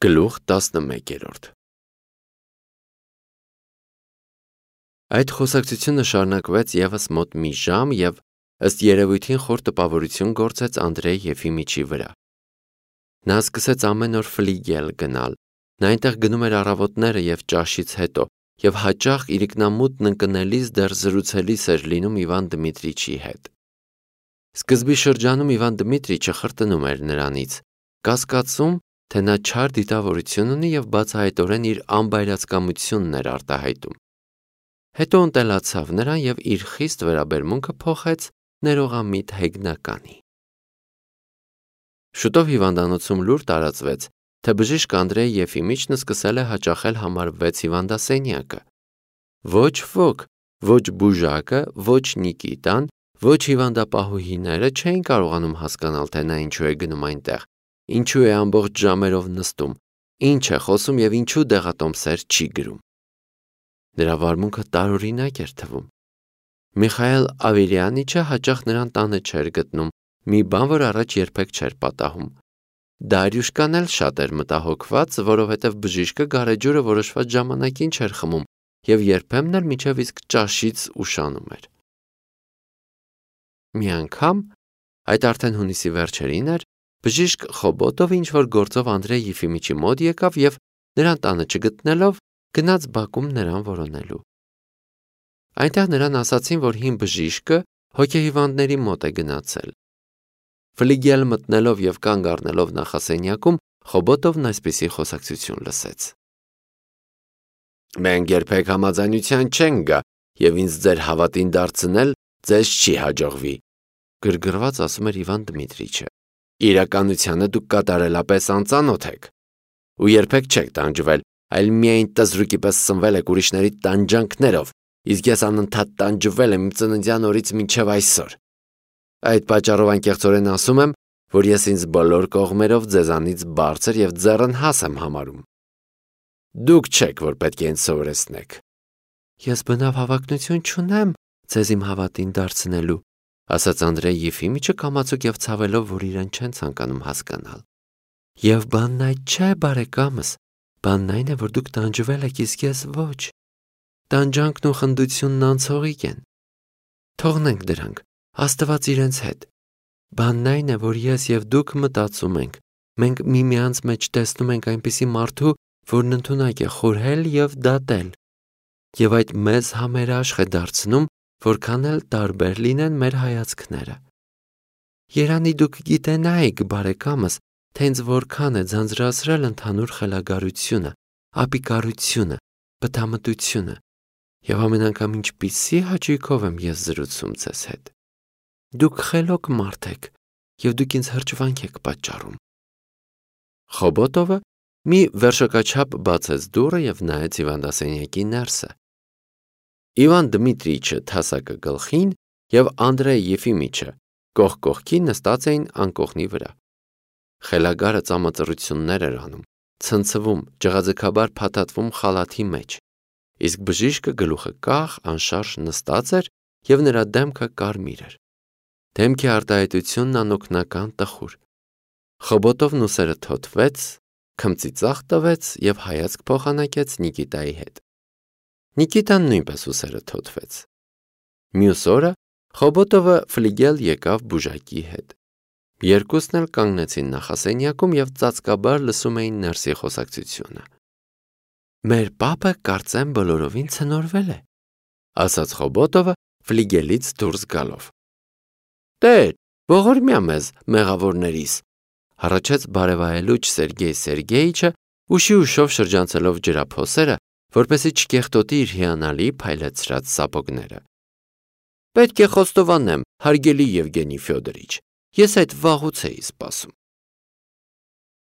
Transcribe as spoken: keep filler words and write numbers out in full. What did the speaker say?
Գլուխ տասնմեկերորդ Այդ խոսակցությունը շարունակվեց ևս մոտ մի ժամ և ըստ երևույթին խոր տպավորություն գործեց Անդրեյ Եֆիմիչի վրա։ Նա սկսեց ամեն օր ֆլիգել գնալ, նա այնտեղ գնում էր առավոտները և ճաշից հետո և հաճախ իրիկնամուտն ընկնելիս դեռ զրուցելիս էր լինում Իվան Դմիտրիչի հետ։ Սկզբի շրջանում Իվան Դմիտրիչը խրտնում էր նրանից, կասկածում, թե նա չար դիտավորություն ունի և բացահայտորեն իր անբայրացկամությունն էր արտահայտում։ Հետո ընտելացավ նրան և իր խիստ վերաբերմունքը փոխեց ներողամիտ հեգնականի։ Շուտով հիվանդանոցում լուր տարածվեց, թե բժիշկ Անդրեյ Եֆիմիչն սկսել է հաճախել համար վեց հիվանդասենյակը։ Ոչ ոք, ոչ բուժակը, ոչ Նիկիտան, ոչ հիվանդապահուհիները չէին կարողանում հասկանալ, թե նա ինչու է գնում այնտեղ, ինչու է ամբողջ ժամերով նստում, ինչ է խոսում և ինչու դեղատոմսեր չի գրում։ Նրա վարմունքը տարօրինակ էր թվում։ Միխայել Ավելյանիչը հաճախ նրան տանը չէր գտնում, մի բան, որ առաջ երբեք չէր պատահում։ Դարյուշկան էլ շատ էր մտահոգված, որովհետև բժիշկը գարեջուրը որոշված ժամանակին չէր խմում և երբեմն էլ մինչև իսկ ճաշից ուշանում էր։ Մի անգամ, այդ արդեն հունիսի վերջերին էր, բժիշկ Խոբոտովը ինչ-որ գործով Անդրեյ Եֆիմիչի մոտ եկավ և նրան տանը չգտնելով, գնաց բակում նրան որոնելու։ Այնտեղ նրան ասացին, որ հին բժիշկը հոգեհիվանդների մոտ է գնացել։ Ֆլիգել մտնելով և կանգ առնելով նախասենյակում, Խոբոտովն այսպիսի խոսակցություն լսեց. Մենք երբեք համաձայնության չենք գա, և ինձ ձեր հավատին դարձնել ձեզ չի հաջողվի, գրգռված ասում էր Իվան Դմիտրիչը։ Իրականությանը դուք կատարելապես անծանոթ եք ու երբեք չեք տանջվել, այլ միայն տզրուկի պես սնվել եք ուրիշների տանջանքներով, իսկ ես անընդհատ տանջվել եմ իմ ծննդյան օրից մինչև այսօր։ Այդ պատճառով անկեղծորեն ասում եմ, որ ես ինձ բոլոր կողմերով ձեզանից բարձր և ձեռնհաս եմ համարում։ Դուք չեք, որ պետք է ինձ սովորեցնեք։ Ես բնավ հավակնություն չունեմ ձեզ իմ հավատին դարձնելու, ասաց Անդրեյ Եֆիմիչը կամացուկ և ցավելով, որ իրեն չեն ցանկանում հասկանալ։ Եվ բանն այդ չէ, բարեկամս, բանն այն է, որ դուք տանջվել եք, իսկ ես ոչ։ Տանջանքն ու խնդությունն անցողիկ են։ Թողնենք դրանք, Աստված իրենց հետ։ Բանն այն է, որ ես և դուք մտածում ենք, մենք միմյանց մեջ տեսնում ենք այնպիսի մարդու, որն ընդունակ է խորհել և դատել, և այդ մեզ համերաշխ է դարձնում, որքան էլ տարբեր լինեն մեր հայացքները։ Երանի դուք գիտենայիք, բարեկամս, թե ինձ որքան է ձանձրացրել ընդհանուր խելագարությունը, ապիկարությունը, բթամտությունը, և ամեն անգամ ինչպիսի հաճույքով եմ ես զրուցում ձեզ հետ։ Դուք խելոք մարդ եք, և դուք ինձ հրճվանք եք պատճառում։ Խոբոտովը մի վերշակաչափ բացեց դուռը և նայեց հիվանդասենյակի ներսը։ Իվան Դմիտրիչը թասակը գլխին և Անդրեյ Եֆիմիչը կողք կողքի նստած էին անկողնի վրա։ Խելագարը ծամածռություններ էր անում, ցնցվում, ջղաձգաբար փաթաթվում խալաթի մեջ, իսկ բժիշկը գլուխը կախ, անշարժ նստած էր և նրա դեմքը կարմիր էր։ Դեմքի արտահայտությունն անօգնական տխուր։ Խոբոտովն ուսերը թոթվեց, քմծի ծախ տվեց և հայացք փոխանակեց Նիկիտայի հետ։ Նիկիտան նույնպես ուսերը թոթվեց։ Մյուս օրը Խոբոտովը ֆլիգել եկավ բուժակի հետ։ Երկուսն էլ կանգնեցին նախասենյակում և ծածկաբար լսում էին ներսի խոսակցությունը։ Մեր պապը կարծեմ բոլորովին ցնորվել է, ասաց Խոբոտովը ֆլիգելից դուրս գալով։ Տեր, ողորմյա մեզ, մեղավորներիս, հառաչեց բարևայելուչ Սերգեյ Սերգեյիչը, ուշի ուշով շրջանցելով ջրափոսերը, որպեսզի չկեղտոտի իր հիանալի փայլեցրած սապոգները։ Պետք է խոստովանեմ, հարգելի Եվգենի Ֆյոդորիչ, ես այդ վաղուց էի սպասում։